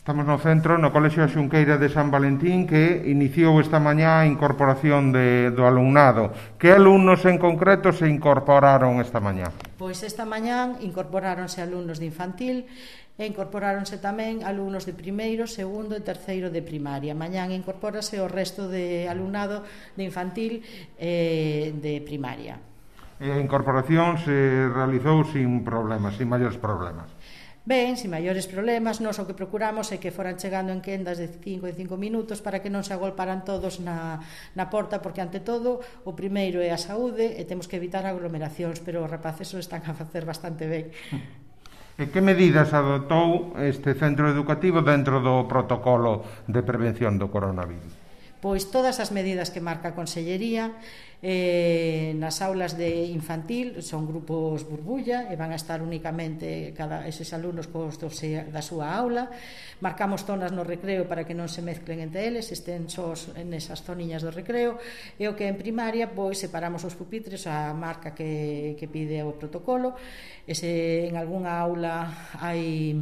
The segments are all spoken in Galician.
Estamos no centro, no Colexio Xunqueira de San Valentín, que iniciou esta mañá a incorporación do alumnado. Que alumnos en concreto se incorporaron esta mañá? Pois esta mañá incorporáronse alumnos de infantil e incorporáronse tamén alumnos de primeiro, segundo e terceiro de primaria. Mañán incorpórase o resto de alumnado de infantil e de primaria. E a incorporación se realizou sin problemas, sin maiores problemas. Ben, sin maiores problemas, nós o que procuramos é que foran chegando en quendas de 5 en 5 minutos para que non se agolparan todos na porta, porque ante todo o primeiro é a saúde e temos que evitar aglomeracións, pero os rapaces o están a facer bastante ben. E que medidas adoptou este centro educativo dentro do protocolo de prevención do coronavirus? Pois todas as medidas que marca a Consellería. Nas aulas de infantil son grupos burbulla e van a estar únicamente eses alumnos da súa aula. Marcamos zonas no recreo para que non se mezclen entre eles, estén sós nesas zoniñas do recreo. E o que en primaria, pois separamos os pupitres a marca que pide o protocolo. E se en algunha aula hai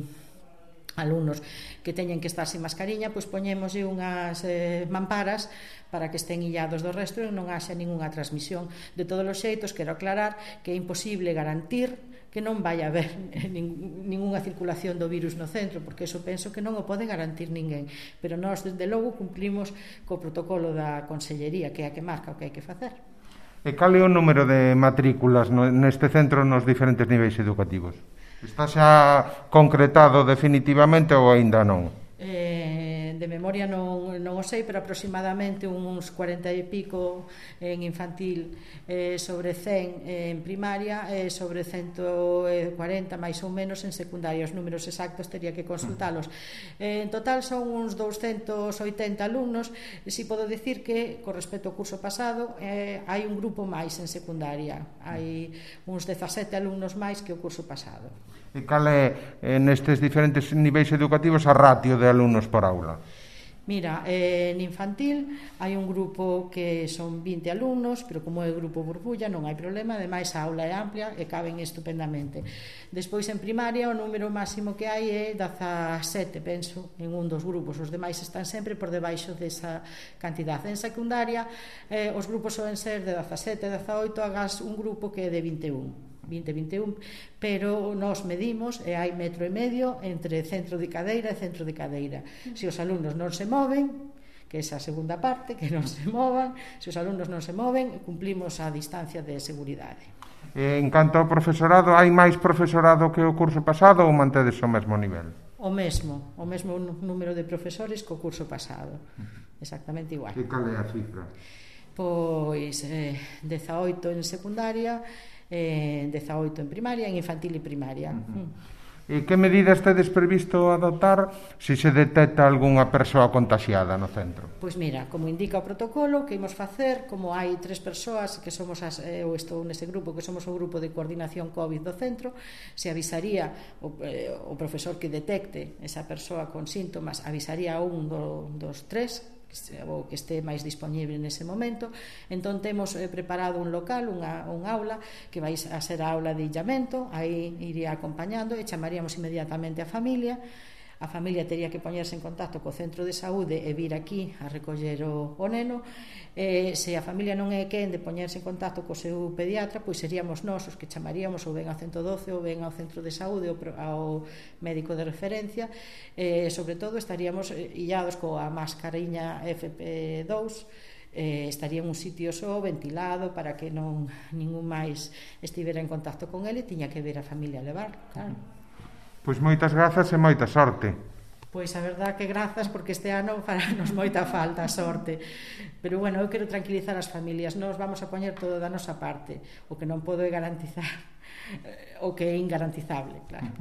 alumnos que teñen que estar sin mascariña, pois poñémoslle unhas mamparas para que estén illados do resto e non haxa ningunha transmisión. De todos os xeitos, quero aclarar que é imposible garantir que non vai haber ningunha circulación do virus no centro, porque eso penso que non o pode garantir ninguén, pero nós desde logo cumplimos co protocolo da Consellería, que é a que marca o que hai que facer. E cal é o número de matrículas neste centro nos diferentes niveis educativos? Está xa concretado definitivamente ou aínda non? De memoria non o sei, pero aproximadamente uns 40 e pico en infantil, sobre 100 en primaria e sobre 140 máis ou menos en secundaria. Os números exactos teria que consultalos. En total son uns 280 alumnos. Si podo dicir que, con respecto ao curso pasado, hai un grupo máis en secundaria. Hai uns 17 alumnos máis que o curso pasado. E cal é, nestes diferentes niveis educativos, a ratio de alumnos por aula? Mira, en infantil hai un grupo que son 20 alumnos, pero como é grupo burbulla non hai problema, ademais a aula é amplia e caben estupendamente. Despois en primaria o número máximo que hai é 17, penso, en un dos grupos, os demais están sempre por debaixo desa cantidad. En secundaria os grupos soen ser de 17, 18, agás un grupo que é de 21, pero nós medimos e hai 1,5 metro entre centro de cadeira e centro de cadeira. Se os alumnos non se moven, que é a segunda parte, que non se movan, se os alumnos non se moven, cumplimos a distancia de seguridade. En canto ao profesorado, hai máis profesorado que o curso pasado ou mantedes o mesmo nivel? O mesmo número de profesores que o curso pasado, exactamente igual. E cal é a cifra? Pois 18 en secundaria, 18 en primaria, en infantil e primaria. E que medidas tedes previsto adoptar se se detecta algunha persoa contaxiada no centro? Pois mira, como indica o protocolo, que imos facer, como hai 3 persoas que somos eu estou nese grupo, que somos o grupo de coordinación COVID do centro, se avisaría o profesor que detecte esa persoa con síntomas, avisaría a un dos 3 o que este máis disponible nese momento. Entón temos preparado un local, unha aula que vai a ser a aula de illamento, aí iría acompañando e chamaríamos inmediatamente a familia. A familia tería que poñerse en contacto co centro de saúde e vir aquí a recoller o neno. Se a familia non é quen de poñerse en contacto co seu pediatra, pois seríamos nós os que chamaríamos ou ben ao 112 ou ben ao centro de saúde ou ao médico de referencia. Sobre todo estaríamos illados coa mascariña FP2, estaría en un sitio só, ventilado, para que non ningún máis estivera en contacto con ele, tiña que ver a familia levar, claro. Pois moitas grazas e moita sorte. Pois a verdad que grazas, porque este ano fará-nos moita falta a sorte. Pero bueno, eu quero tranquilizar as familias. Nós vamos a poñer todo da nosa parte. O que non podo é garantizar o que é ingarantizable, claro.